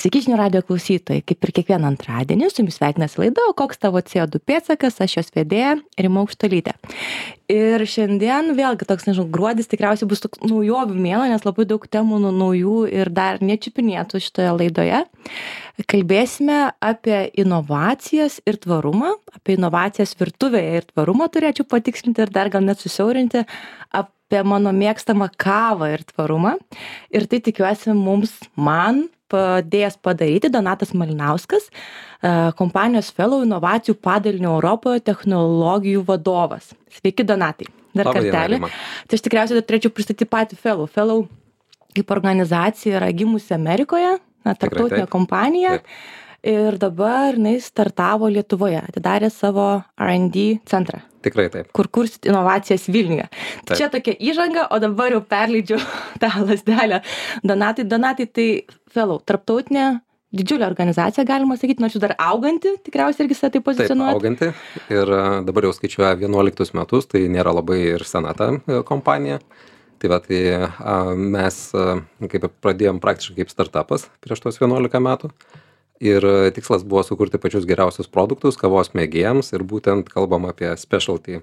Sveiki žinių radijo klausytojai, kaip ir kiekvieną antradienį, su jumis sveikinasi laida, o koks tavo CO2 pėdsakas, aš jos vedėja Rima Aukštuolytė. Ir šiandien vėlgi toks, gruodis tikriausiai bus toks naujovių mėnuo, nes labai daug temų naujų ir dar nečiupinėtų šitoje laidoje. Kalbėsime apie inovacijas ir tvarumą, apie inovacijas virtuvėje ir tvarumą turėčiau patikslinti ir dar gal net susiaurinti apie mano mėgstamą kavą ir tvarumą. Ir tai tikiuosi man padėjęs padaryti Donatas Malinauskas, kompanijos Fellow inovacijų padalinio Europoje technologijų vadovas. Sveiki, Donatai. Dar kartelį. Tai aš tikriausiai dar turėčiau pristatyti patį Fellow. Fellow kaip organizacija yra gimusi Amerikoje, tarptautinė kompanija. Taip. Ir dabar jinai startavo Lietuvoje, atidarė savo R&D centrą. Tikrai taip. Kur kursit inovacijas Vilniuje. Tai čia tokia įžanga, o dabar jau perleidžiu tą lasdelę. Donatai, tai Fellow, tarptautinė didžiulė organizacija, galima sakyti, nors jūs dar auganti, tikriausiai irgi save taip pozicionuojate. Taip, auganti ir dabar jau skaičiuoja 11 metus, tai nėra labai ir sena ta kompanija. Tai va, tai mes kaip pradėjom praktiškai kaip startupas prieš tos 11 metų. Ir tikslas buvo sukurti pačius geriausius produktus kavos mėgėjams ir būtent kalbam apie specialty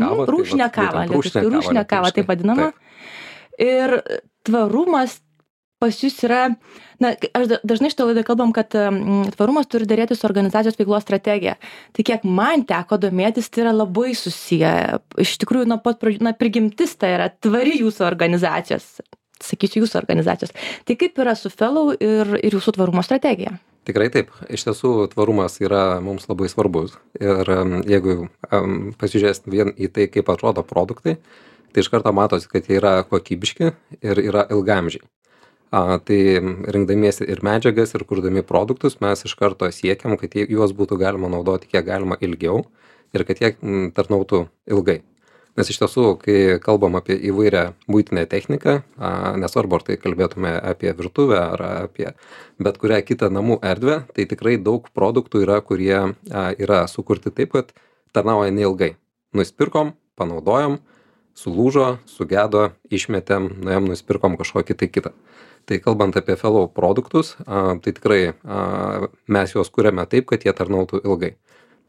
kavą. Rūšinę kavą, rūšinę kavą, taip vadinama. Taip. Ir tvarumas pas jūs yra, aš dažnai šitą laidą kalbam, kad tvarumas turi dėrėti su organizacijos veiklos strategija. Tai kiek man teko domėtis, tai yra labai susiję. Iš tikrųjų, nuo pat pradžių, prigimtis tai yra tvari jūsų organizacijos. Sakysiu jūsų organizacijos. Tai kaip yra su Fellow ir jūsų tvarumo strategija? Tikrai taip. Iš tiesų, tvarumas yra mums labai svarbus. Ir jeigu pasižiūrėsit vien į tai, kaip atrodo produktai, tai iš karto matosi, kad jie yra kokybiški ir yra ilgamžiai. Tai rinkdamiesi ir medžiagas, ir kurdami produktus, mes iš karto siekiam, kad juos būtų galima naudoti kiek galima ilgiau ir kad jie tarnautų ilgai. Nes iš tiesų, kai kalbam apie įvairią buitinę techniką, nesvarbu, ar tai kalbėtume apie virtuvę ar apie bet kurią kitą namų erdvę, tai tikrai daug produktų yra, kurie yra sukurti taip, kad tarnauja neilgai. Nusipirkom, panaudojom, sulūžo, sugedo, išmetėm, nuėjom, nusipirkom kažkokį tai kitą. Tai kalbant apie Fellow produktus, tai tikrai mes juos kuriame taip, kad jie tarnautų ilgai.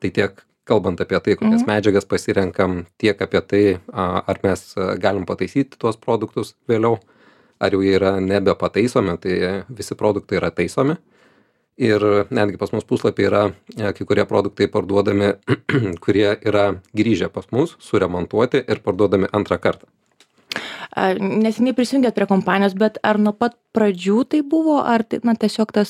Tai tiek kalbant apie tai, kokias medžiagas pasirenkam, tiek apie tai, ar mes galim pataisyti tuos produktus vėliau, ar jau jie yra nebepataisomi, tai visi produktai yra taisomi. Ir netgi pas mus puslapį yra kai kurie produktai parduodami, kurie yra grįžę pas mus, suremontuoti ir parduodami antrą kartą. Neseniai prisijungėt prie kompanijos, bet ar nuo pat pradžių tai buvo, ar tiesiog ta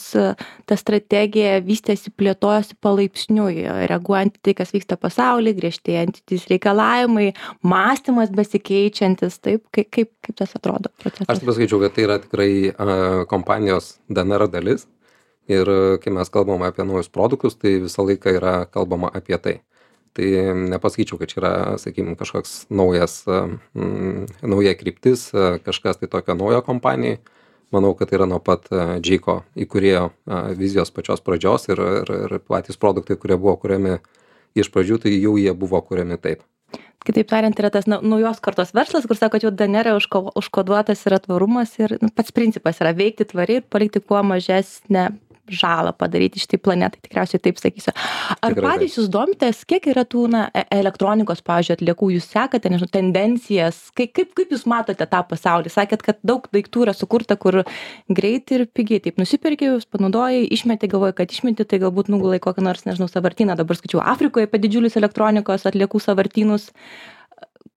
strategija vystėsi, plėtojosi palaipsniui, reaguojant į tai, kas vyksta pasaulyje, griežtėjantys reikalavimai, mąstymas besikeičiantis, taip, kaip tas atrodo procesas? Aš pasakyčiau, kad tai yra tikrai kompanijos DNR dalis ir kai mes kalbame apie naujus produktus, tai visą laiką yra kalbama apie tai. Tai nepasakyčiau, kad čia yra, sakykime, kažkoks nauja kryptis, kažkas tai tokio naujo kompanijai. Manau, kad tai yra nuo pat Džeiko įkūrėjo vizijos pačios pradžios ir patys produktai, kurie buvo kuriami iš pradžių, tai jau jie buvo kuriami taip. Kitaip tariant, yra tas naujos kartos verslas, kur sako, kad jau DNR užkoduotas yra tvarumas ir pats principas yra veikti tvariai ir palikti kuo mažesnę žalą padaryti šitai planetai, tikriausiai taip sakysiu. Ar patys jūs domitės, kiek yra tų elektronikos, pavyzdžiui, atliekų, jūs sekate, nežinau, tendencijas, kaip jūs matote tą pasaulį? Sakėt, kad daug daiktų yra sukurta, kur greitai ir pigiai, taip nusipirkė, jūs panaudojai, išmetė, galvoja, kad išmetė, tai galbūt nugulai kokią nors, nežinau, sąvartyną, dabar skaičiau Afrikoje apie didžiulius elektronikos atliekų sąvartynus.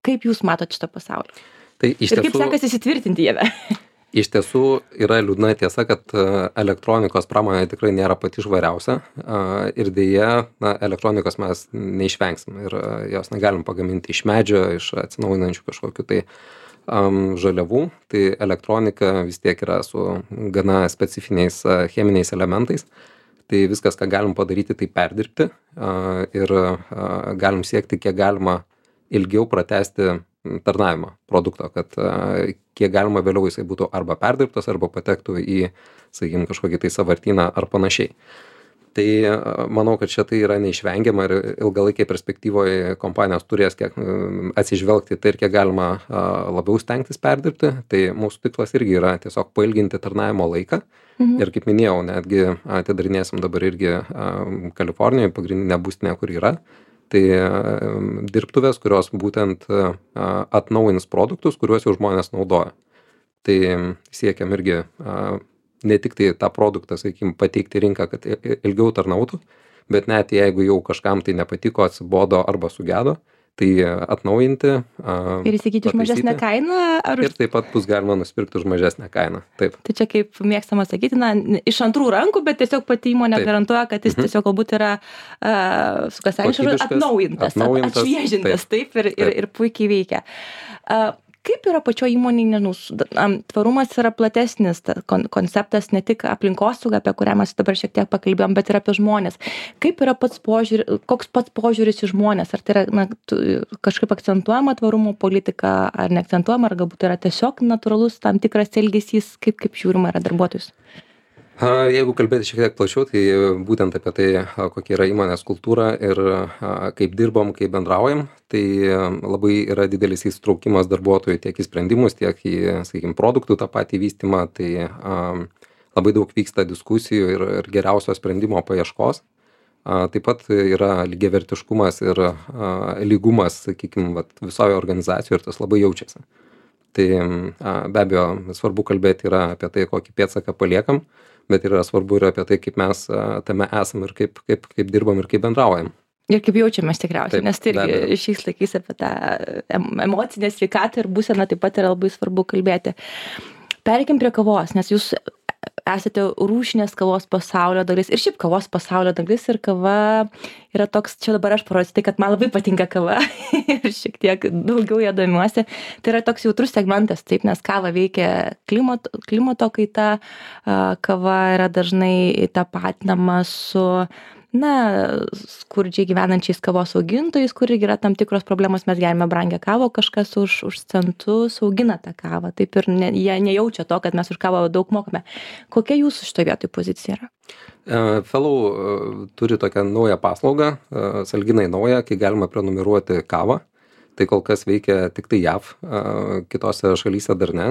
Kaip jūs matote šitą pasaulį? Tai ir kaip sekasi įsitvirtinti jame? Iš tiesų yra liūdna tiesa, kad elektronikos pramonė tikrai nėra pati švariausia ir dėja elektronikos mes neišvengsim ir jos negalim pagaminti iš medžio, iš atsinaujinančių kažkokių tai žaliavų. Tai elektronika vis tiek yra su gana specifiniais cheminiais elementais. Tai viskas, ką galim padaryti, tai perdirbti ir galim siekti kiek galima ilgiau pratęsti tarnavimą produkto, kad kiek galima vėliau jisai būtų arba perdirbtas, arba patektų į, sakykime, kažkokį tai sąvartyną ar panašiai. Tai manau, kad čia tai yra neišvengiama ir ilgalaikiai perspektyvoje kompanijos turės kiek atsižvelgti tai ir kiek galima labiau stengtis perdirbti. Tai mūsų tikslas irgi yra tiesiog pailginti tarnavimo laiką. Ir kaip minėjau, netgi atidarinėsim dabar irgi Kalifornijoje pagrindinę būstinę, kur yra. Tai dirbtuvės, kurios būtent atnaujins produktus, kuriuos jau žmonės naudoja. Tai siekiam irgi ne tik tai tą produktą, sakykime, pateikti rinką, kad ilgiau tarnautų, bet net jeigu jau kažkam tai nepatiko, atsibodo arba sugedo, tai atnaujinti. Ir įsigyti už mažesnę kainą? Ir taip pat bus galima nusipirkti už mažesnę kainą. Taip. Tai čia kaip mėgstama sakyti, iš antrų rankų, bet tiesiog pati įmonė garantuoja, kad jis tiesiog galbūt yra atnaujintas, atšviežintas, taip, ir puikiai veikia. Kaip yra pačio įmonėje, nežinau, tvarumas yra platesnis konceptas, ne tik aplinkosauga, apie kurią mes dabar šiek tiek pakalbėjom, bet ir apie žmonės. Kaip yra koks pats požiūris į žmonės? Ar tai yra kažkaip akcentuojama tvarumo politika, ar neakcentuojama, ar galbūt yra tiesiog natūralus tam tikras elgesys, kaip žiūrima yra darbuotojus? Jeigu kalbėti šiek tiek plačiau, tai būtent apie tai, kokia yra įmonės kultūra ir kaip dirbam, kaip bendraujam, tai labai yra didelis įsitraukimas darbuotojų tiek į sprendimus, tiek į, sakykime, produktų tą patį vystymą, tai labai daug vyksta diskusijų ir geriausio sprendimo paieškos. Taip pat yra lygiavertiškumas ir lygumas, sakykime, visoje organizacijoje ir tas labai jaučiasi. Tai be abejo, svarbu kalbėti yra apie tai, kokį pėdsaką paliekam, bet yra svarbu ir apie tai, kaip mes tame esam ir kaip dirbam ir kaip bendraujam. Ir kaip jaučiamės tikriausiai, nes tai irgi šiais laikais apie tą emocinę sveikatą ir būseną taip pat yra labai svarbu kalbėti. Pereikim prie kavos, nes jūs esate rūšinės kavos pasaulio dalis ir šiaip kavos pasaulio dalis ir kava yra toks, čia dabar aš parodysiu tai, kad man labai patinka kava ir šiek tiek daugiau ją domiuosi. Tai yra toks jautrus segmentas, taip, nes kava veikia klimato kaita, kava yra dažnai tapatinama su skurdžiai gyvenančiais kavos augintojais, kur yra tam tikros problemos, mes gerime brangią kavą, kažkas už centus augina tą kavą. Taip ir jie nejaučia to, kad mes už kavą daug mokame. Kokia jūsų šitoje vietoje pozicija yra? Fellow turi tokią naują paslaugą, sąlyginai naują, kai galima prenumeruoti kavą. Tai kol kas veikia tik tai JAV, kitose šalyse dar ne.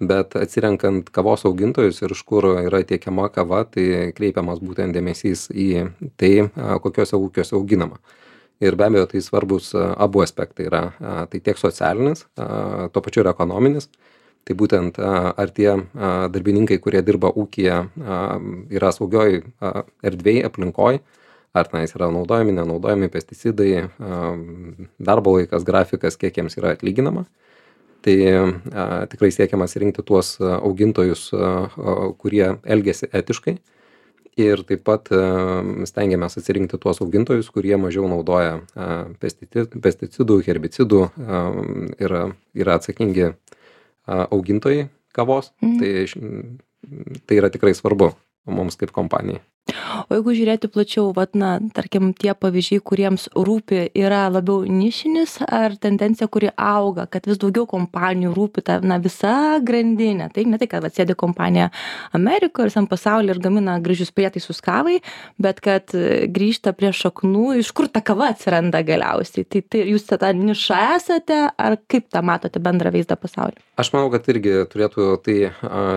Bet atsirenkant kavos augintojus ir iš kur yra tiekiama kava, tai kreipiamas būtent dėmesys į tai, kokiuose ūkiuose auginama. Ir be abejo, tai svarbus abu aspektai yra. Tai tiek socialinis, tuo pačiu ir ekonominis. Tai būtent ar tie darbininkai, kurie dirba ūkyje, yra saugioj erdvėj, aplinkoj, ar tenais yra naudojami, nenaudojami pesticidai, darbo laikas, grafikas, kiek jiems yra atlyginama. Tai tikrai siekiamas rinkti tuos augintojus, kurie elgiasi etiškai ir taip pat stengiamės atsirinkti tuos augintojus, kurie mažiau naudoja pesticidų, herbicidų ir yra atsakingi augintojai kavos. Tai yra tikrai svarbu mums kaip kompanijai. O jeigu žiūrėti plačiau, tarkim, tie pavyzdžiai, kuriems rūpi, yra labiau nišinis ar tendencija, kuri auga, kad vis daugiau kompanijų rūpi ta visa grandinė. Tai ne tai, kad sėdi kompanija Amerikoje ir visam pasaulyje ir gamina gražius prietaisus kavai, bet kad grįžta prie šaknų, iš kur ta kava atsiranda galiausiai. Tai jūs tą nišą esate, ar kaip tą matote bendrą vaizdą pasaulyje? Aš manau, kad irgi turėtų tai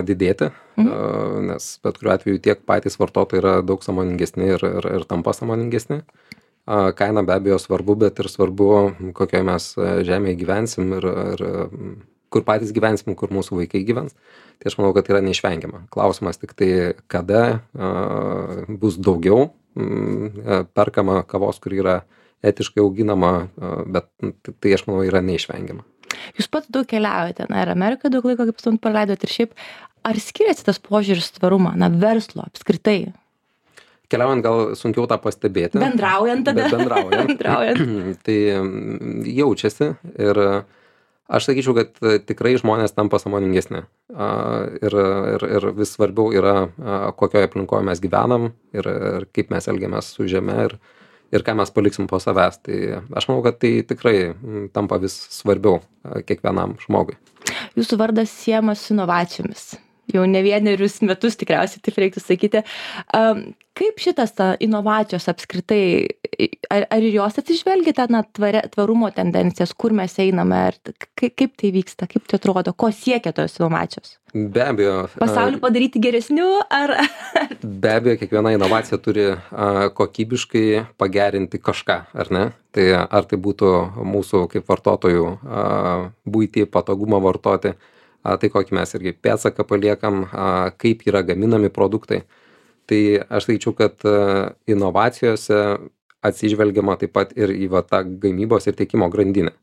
didėti, nes bet kuriuo atveju tiek patys vartotojai yra daug sąmoningesni ir tampa sąmoningesni. Kaina be abejo svarbu, bet ir svarbu, kokioje mes žemėje gyvensim ir kur patys gyvensim, kur mūsų vaikai gyvens. Tai aš manau, kad yra neišvengiama. Klausimas tik tai, kada bus daugiau perkama kavos, kur yra etiškai auginama, bet tai aš manau yra neišvengiama. Jūs pats daug keliaujate, ir Amerikoje daug laiko, kaip jūs praleidot, ir šiaip, ar skiriasi tas požiūris tvarumą, verslo apskritai? Keliaujant gal sunkiau tą pastebėti. Bendraujant tada. Bendraujant. Tai jaučiasi ir aš sakyčiau, kad tikrai žmonės tampa sąmoningesni. Ir vis svarbiau yra, kokioje aplinkoje mes gyvenam ir kaip mes elgiamės su žeme ir ką mes paliksim po savęs. Tai aš manau, kad tai tikrai tampa vis svarbiau kiekvienam žmogui. Jūsų vardas siejamas su inovacijomis. jau ne vienerius metus tikriausiai, taip reiktų sakyti. Kaip šitas inovacijos apskritai, ar jos atsižvelgite na tvarumo tendencijas, kur mes einame, kaip tai vyksta, kaip tai atrodo, ko siekia tos inovacijos? Be abejo. Pasaulį padaryti geresniu, ar... Be abejo, kiekviena inovacija turi kokybiškai pagerinti kažką, ar ne? Tai ar tai būtų mūsų kaip vartotojų buitį, patogumą vartoti, tai kokį mes irgi pėdsaką paliekam, kaip yra gaminami produktai. Tai aš sakyčiau, kad inovacijose atsižvelgiama taip pat ir į tą gamybos ir tiekimo grandinę.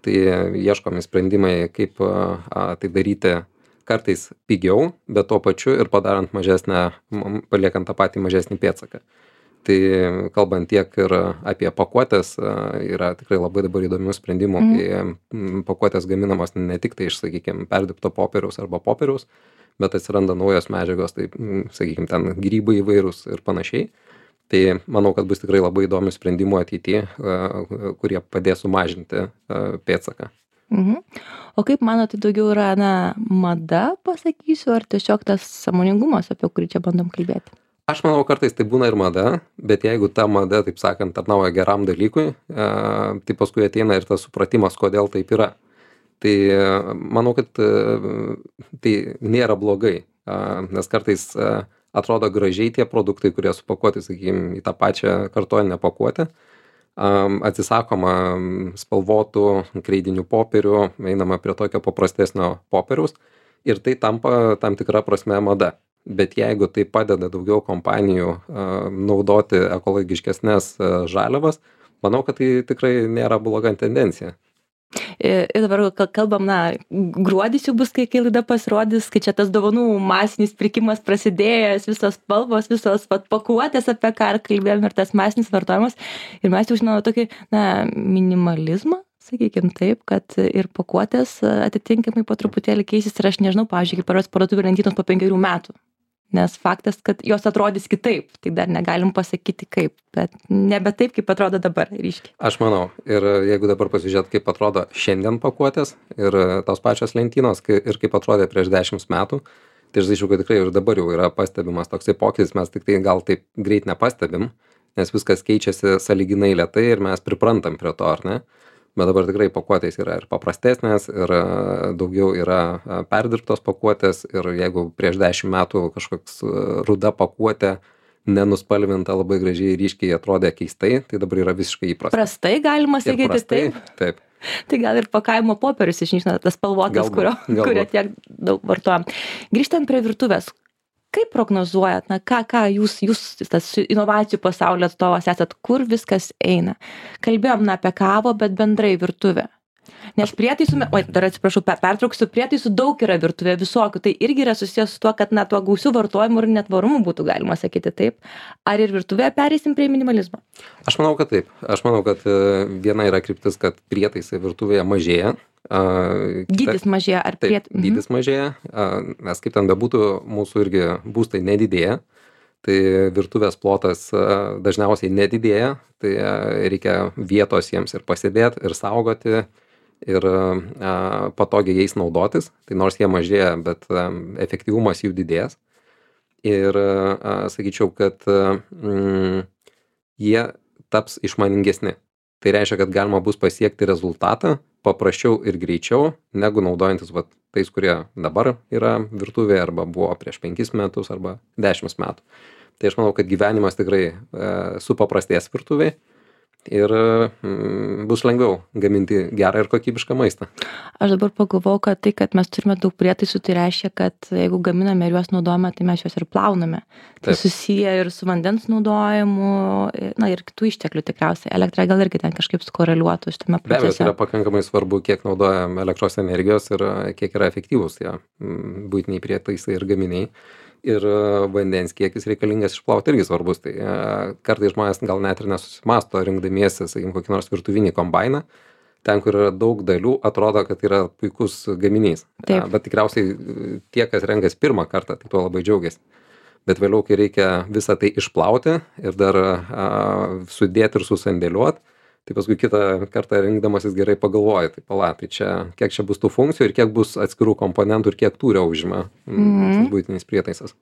Tai ieškomi sprendimai, kaip tai daryti kartais pigiau, bet tuo pačiu ir padarant paliekant tą patį mažesnį pėdsaką. Tai kalbant tiek ir apie pakuotės, yra tikrai labai dabar įdomių sprendimų, kai pakuotės gaminamos ne tik tai iš, sakykime, perdirbto popieriaus arba popieriaus, bet atsiranda naujos medžiagos, tai, sakykime, ten grybai įvairūs ir panašiai. Tai manau, kad bus tikrai labai įdomių sprendimų ateityje, kurie padės sumažinti pėdsaką. O kaip manote, daugiau yra mada, pasakysiu, ar tiesiog tas sąmoningumas, apie kurį čia bandom kalbėti? Aš manau, kartais tai būna ir mada, bet jeigu ta mada, taip sakant, tarnauja geram dalykui, tai paskui ateina ir tas supratimas, kodėl taip yra. Tai manau, kad tai nėra blogai, nes kartais atrodo gražiai tie produktai, kurie supakuoti, sakykime, į tą pačią kartoninę pakuotę, atsisakoma spalvotų kreidinių popierių, einama prie tokio paprastesnio popieriaus ir tai tampa tam tikra prasme mada. Bet jeigu tai padeda daugiau kompanijų naudoti ekologiškesnės žaliavas, manau, kad tai tikrai nėra bloga tendencija. Ir dabar kalbam, gruodis jau bus, kai laida pasirodys, kai čia tas dovanų masinis pirkimas prasidėjęs, visos spalvos, visos pakuotės, apie ką kalbėjom, ir tas masinis vartojimas. Ir mes jau žinome tokį, minimalizmą, sakykime taip, kad ir pakuotės atitinkamai po truputėlį keisis. Ir aš nežinau, pavyzdžiui, kaip paros parduotuvių lentynos po 5 metų. Nes faktas, kad jos atrodys kitaip, tai dar negalim pasakyti kaip, bet nebe taip, kaip atrodo dabar ryškiai. Aš manau, ir jeigu dabar pasižiūrėt, kaip atrodo šiandien pakuotės ir tos pačios lentynos, ir kaip atrodė prieš 10 metų, tai aš sakyčiau, kad tikrai ir dabar jau yra pastebimas toksai pokytis, mes tik tai gal taip greit nepastebim, nes viskas keičiasi sąlyginai lėtai ir mes priprantam prie to, ar ne? Bet dabar tikrai pakuotės yra ir paprastesnės, ir daugiau yra perdirbtos pakuotės, ir jeigu prieš 10 metų kažkoks ruda pakuotė nenuspalvinta labai gražiai ryškiai atrodė keistai, tai dabar yra visiškai įprasta. Prastai galima sakyti, prastai, taip. Tai gal ir pakavimo popierius išnyksta, tas spalvotas, kurio tiek daug vartojam. Grįžtant prie virtuvės, kaip prognozuojat, ką jūs tas inovacijų pasaulio atstovas esat, kur viskas eina? Kalbėjom apie kavą, bet bendrai virtuvę. Nes prietaisų, dar atsiprašau, pertrauksiu, prietaisų daug yra virtuvė visokių, tai irgi yra susijęs su tuo, kad tuo gausiu vartojimu ir netvarumu būtų galima sakyti taip. Ar ir virtuvėje pereisim prie minimalizmo? Aš manau, kad taip. Aš manau, kad viena yra kryptis, kad prietaisai virtuvėje mažėja. Dydis mažėja ar dydis mažėja, nes kaip ten bebūtų, mūsų irgi būstai nedidėja, tai virtuvės plotas dažniausiai nedidėja, tai reikia vietos jiems ir pasėdėti, ir saugoti, ir patogiai jais naudotis, tai nors jie mažėja, bet efektyvumas jų didės. Ir sakyčiau, kad jie taps išmaningesni. Tai reiškia, kad galima bus pasiekti rezultatą paprasčiau ir greičiau, negu naudojantis tais, kurie dabar yra virtuvėje, arba buvo prieš 5 metus, arba 10 metų. Tai aš manau, kad gyvenimas tikrai supaprastės virtuvėje ir bus lengviau gaminti gerą ir kokybišką maistą. Aš dabar pagalvojau, kad tai, kad mes turime daug prietaisų, tai reiškia, kad jeigu gaminame ir juos naudojame, tai mes juos ir plauname. Tai susiję ir su vandens naudojimu, ir kitų išteklių tikriausiai. Elektra gal irgi ten kažkaip skoreliuotų šitame procese. Be abejo, tai yra pakankamai svarbu, kiek naudojam elektros energijos ir kiek yra efektyvūs tie buitiniai prietaisai ir gaminiai. Ir vandens kiekis reikalingas išplauti irgi svarbus. Tai kartais žmonės gal net ir nesusimasto rinkdamiesi, sakykime, kokį nors virtuvinį kombainą. Ten, kur yra daug dalių, atrodo, kad yra puikus gaminys. Bet tikriausiai tie, kas renkas pirmą kartą, tai tuo labai džiaugiasi. Bet vėliau, kai reikia visą tai išplauti ir dar sudėti ir susandėliuoti, Tai paskui kitą kartą rinkdamasis gerai pagalvoji, tai pala, tai čia, kiek čia bus tų funkcijų ir kiek bus atskirų komponentų ir kiek tūrio užima tas buitinis prietaisas.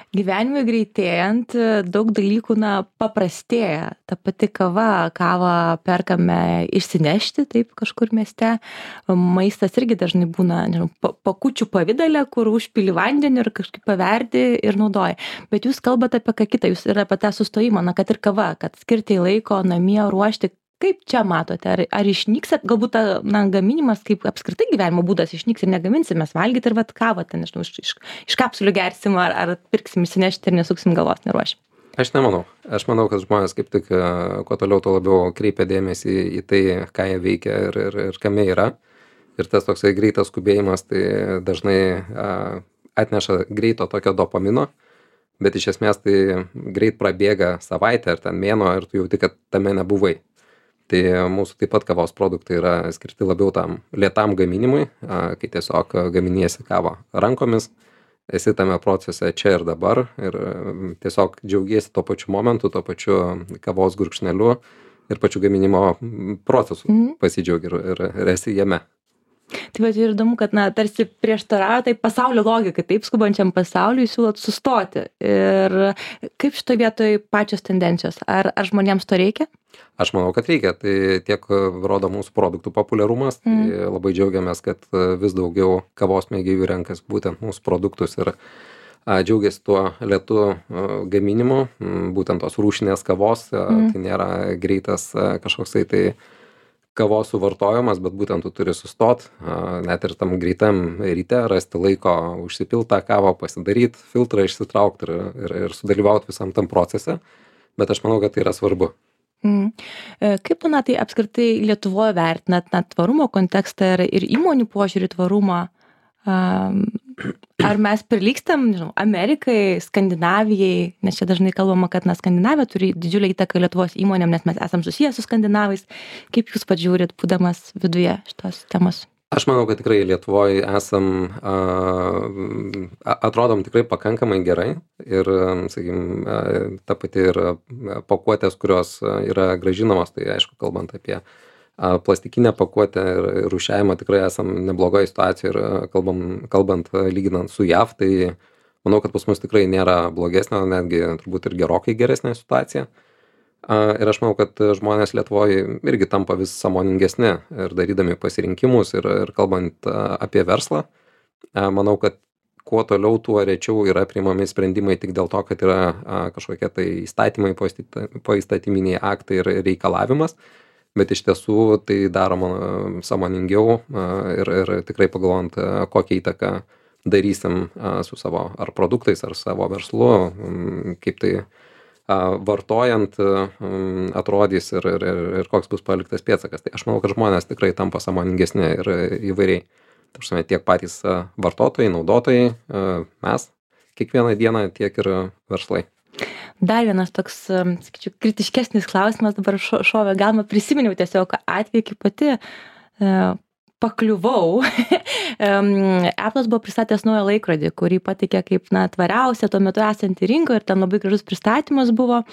Gyvenime greitėjant daug dalykų paprastėja. Ta pati kavą perkame išsinešti, taip kažkur mieste. Maistas irgi dažnai būna, nežinau, pakučių pavidale, kur užpili vandenį ir kažkaip paverdi ir naudoji. Bet jūs kalbate apie ką kitą, jūs ir apie tą sustojimą, kad ir kava, kad skirti laiko namie ruošti. Kaip čia matote, ar išnyks, galbūt gaminimas, kaip apskritai gyvenimo būdas išnyks ir negaminsim mes valgyti ir kavą ten, nežinau, iš kapsulių gersim ar pirksim įsinešti ir nesuksim galvos, neruošim? Aš nemanau. Aš manau, kad žmonės kaip tik kuo toliau, tuo labiau kreipia dėmesį į tai, ką jie veikia ir kame yra. Ir tas toksai greitas skubėjimas tai dažnai atneša greito tokio dopamino, bet iš esmės tai greit prabėga savaitę ar ten mėnuo ir tu jauti, kad tame nebuvai. Tai mūsų taip pat kavos produktai yra skirti labiau tam lėtam gaminimui, kai tiesiog gaminiesi kavą rankomis, esi tame procese čia ir dabar ir tiesiog džiaugiesi tuo pačiu momentu, tuo pačiu kavos gurkšneliu ir pačiu gaminimo procesu pasidžiaugi ir esi jame. Tai va, ir įdomu, kad tarsi prieštarauja tai pasaulio logikai, taip skubančiam pasauliui siūlot sustoti. Ir kaip šitoje vietoje pačios tendencijos? Ar žmonėms to reikia? Aš manau, kad reikia. Tai tiek rodo mūsų produktų populiarumas. Tai labai džiaugiamės, kad vis daugiau kavos mėgėjų renkas būtent mūsų produktus ir džiaugiasi tuo lėtu gaminimu, būtent tos rūšinės kavos. Tai nėra greitas kažkoksai tai kavos suvartojimas, bet būtent tu turi sustot, net ir tam greitam ryte rasti laiko užsipilt tą kavą, pasidaryt, filtrą išsitraukt ir sudalyvaut visam tam procese, bet aš manau, kad tai yra svarbu. Kaip tai apskritai Lietuvoje vertinat tvarumo kontekstą ir įmonių požiūrį tvarumą? Ar mes prilygstam, nežinau, Amerikai, Skandinavijai, nes čia dažnai kalbama, kad Skandinavija turi didžiulę įtaką Lietuvos įmonėm, nes mes esam susiję su skandinavais. Kaip jūs pats žiūrit, būdamas viduje šitos temos? Aš manau, kad tikrai Lietuvoje atrodom tikrai pakankamai gerai ir, sakykime, ta pati ir pakuotės, kurios yra grąžinamos, tai aišku, kalbant apie plastikinę pakuotę ir rūšiavimą tikrai esam neblogoje situacijoje ir kalbant lyginant su JAV, tai manau, kad pas mus tikrai nėra blogesnė, netgi turbūt ir gerokai geresnė situacija. Ir aš manau, kad žmonės Lietuvoje irgi tampa vis sąmoningesni ir darydami pasirinkimus ir kalbant apie verslą, manau, kad kuo toliau, tuo rečiau yra priimami sprendimai tik dėl to, kad yra kažkokie tai įstatymai, poįstatyminiai aktai ir reikalavimas. Bet iš tiesų tai daroma sąmoningiau ir tikrai pagalvojant, kokią įtaką darysim su savo ar produktais, ar savo verslu, kaip tai vartojant atrodys ir koks bus paliktas pėdsakas. Tai aš manau, kad žmonės tikrai tampa sąmoningesni ir įvairiai. Tačiau tiek patys vartotojai, naudotojai, mes kiekvieną dieną, tiek ir verslai. Dar vienas toks, sakyčiau, kritiškesnis klausimas dabar šovė, galima prisiminiau tiesiog atvejį, kaip pati pakliuvau. Apple'as buvo pristatęs naują laikrodį, kurį pateikė kaip tvariausia tuo metu esantį rinkoje ir ten labai gražus pristatymas buvo.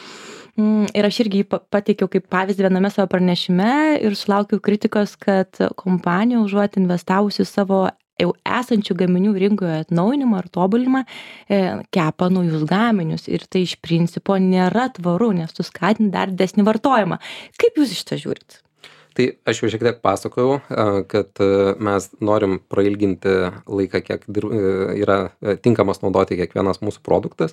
Ir aš irgi jį pateikiau kaip pavyzdį viename savo pranešime ir sulaukiau kritikos, kad kompanija užuot investavusi savo jau esančių gaminių rinkoje atnaujinimą ar tobulinimą, kepa naujus gaminius ir tai iš principo nėra tvaru, nes tu skatini dar didesnį vartojimą. Kaip jūs iš to žiūrit? Tai aš jau šiek tiek pasakojau, kad mes norim prailginti laiką, kiek yra tinkamas naudoti kiekvienas mūsų produktas.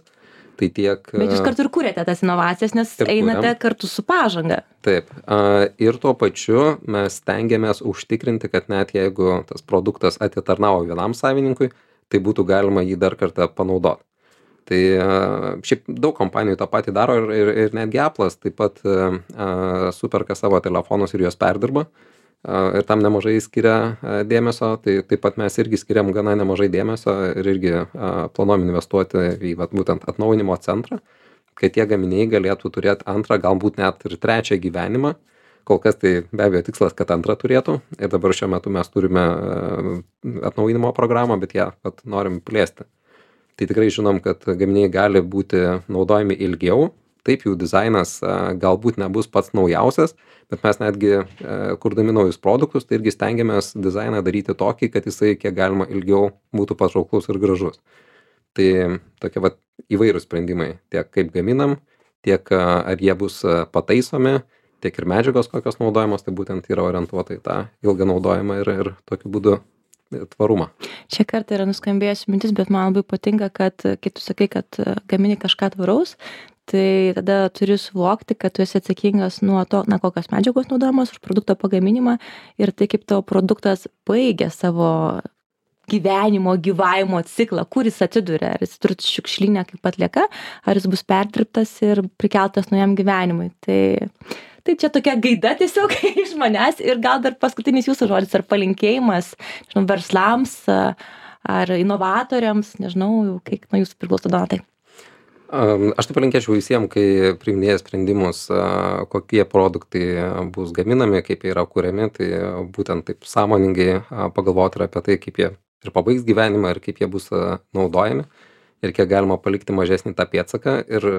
Tai tiek... Bet jūs kartu ir kūrėte tas inovacijas, nes einate kartu su pažanga. Taip. Ir tuo pačiu mes stengiamės užtikrinti, kad net jeigu tas produktas atitarnavo vienam savininkui, tai būtų galima jį dar kartą panaudoti. Tai šiaip daug kompanijų tą patį daro ir netgi Apple'as taip pat superka savo telefonus ir juos perdirba. Ir tam nemažai skiria dėmesio, tai taip pat mes irgi skiriam gana nemažai dėmesio ir irgi planuojam investuoti į būtent atnaujinimo centrą, kad tie gaminiai galėtų turėti antrą, galbūt net ir trečią gyvenimą. Kol kas tai be abejo tikslas, kad antrą turėtų ir dabar šiuo metu mes turime atnaujinimo programą, bet ją norim plėsti. Tai tikrai žinom, kad gaminiai gali būti naudojami ilgiau taip jų dizainas galbūt nebus pats naujausias, bet mes netgi kurdami naujus produktus, tai irgi stengiamės dizainą daryti tokį, kad jisai kiek galima ilgiau būtų patrauklus ir gražus. Tai tokie vat įvairūs sprendimai, tiek kaip gaminam, tiek ar jie bus pataisomi, tiek ir medžiagos kokios naudojamos, tai būtent yra orientuota į tą ilgą naudojimą ir tokiu būdu tvarumą. Čia kartą yra nuskambėjusi mintis, bet man labai patinka, kad kai tu sakai, kad gamini kažką tvaraus, tai tada turi suvokti, kad tu esi atsakingas nuo to, kokios medžiagos naudojamos už produkto pagaminimą ir tai, kaip tavo produktas baigia savo gyvavimo ciklą, kur jis atsiduria, ar jis turi šiukšlinę kaip atlieka, ar jis bus perdirbtas ir prikeltas naujam gyvenimui. Tai čia tokia gaida tiesiog iš manęs ir gal dar paskutinis jūsų žodis ar palinkėjimas, nežinau, verslams ar inovatoriams, nežinau, kaip nuo jūsų priklauso, Donatai. Aš tai palinkėčiau visiems, kai priiminėja sprendimus, kokie produktai bus gaminami, kaip jie yra kuriami, tai būtent taip sąmoningai pagalvoti ir apie tai, kaip jie ir pabaigs gyvenimą ir kaip jie bus naudojami ir kiek galima palikti mažesnį tą pėdsaką. Ir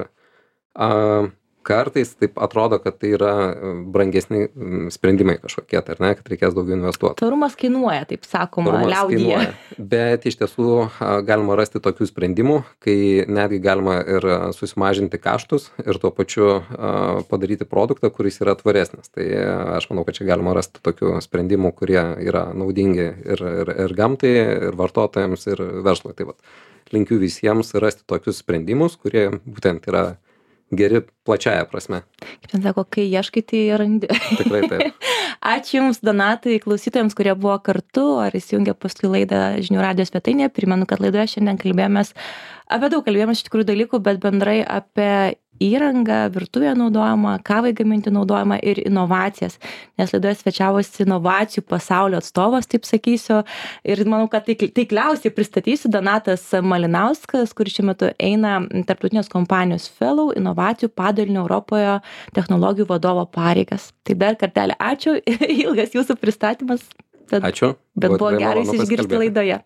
kartais taip atrodo, kad tai yra brangesni sprendimai kažkokie, tai ar ne, kad reikės daugiau investuoti. Tvarumas kainuoja, taip sakoma, liaudyje. Bet iš tiesų galima rasti tokių sprendimų, kai netgi galima ir susimažinti kaštus ir tuo pačiu padaryti produktą, kuris yra tvaresnis. Tai aš manau, kad čia galima rasti tokių sprendimų, kurie yra naudingi ir gamtai, ir vartotojams, ir verslui. Tai vat, linkiu visiems rasti tokius sprendimus, kurie būtent yra geri plačiaja prasme. Kaip ten sako, kai ieškai, tai randi. Tikrai taip. Ačiū Jums, Donatai, klausytojams, kurie buvo kartu ar įsijungė paskui laidą Žinių radijo svetainėje. Primenu, kad laidoje šiandien kalbėjomės apie daug iš tikrųjų dalykų, bet bendrai apie įrangą, virtuvėje naudojamą, kavai gaminti naudojamą ir inovacijas. Nes laidoje svečiavosi inovacijų pasaulio atstovas, taip sakysiu. Ir manau, kad taikliausiai pristatysiu Donatas Malinauskas, kuris šiuo metu eina tarptautinės kompanijos Fellow inovacijų padalinio Europoje technologijų vadovo pareigas. Tai dar kartelį ačiū. Ilgas jūsų pristatymas. Ačiū. Bet buvo gerai išgirsti laidoje.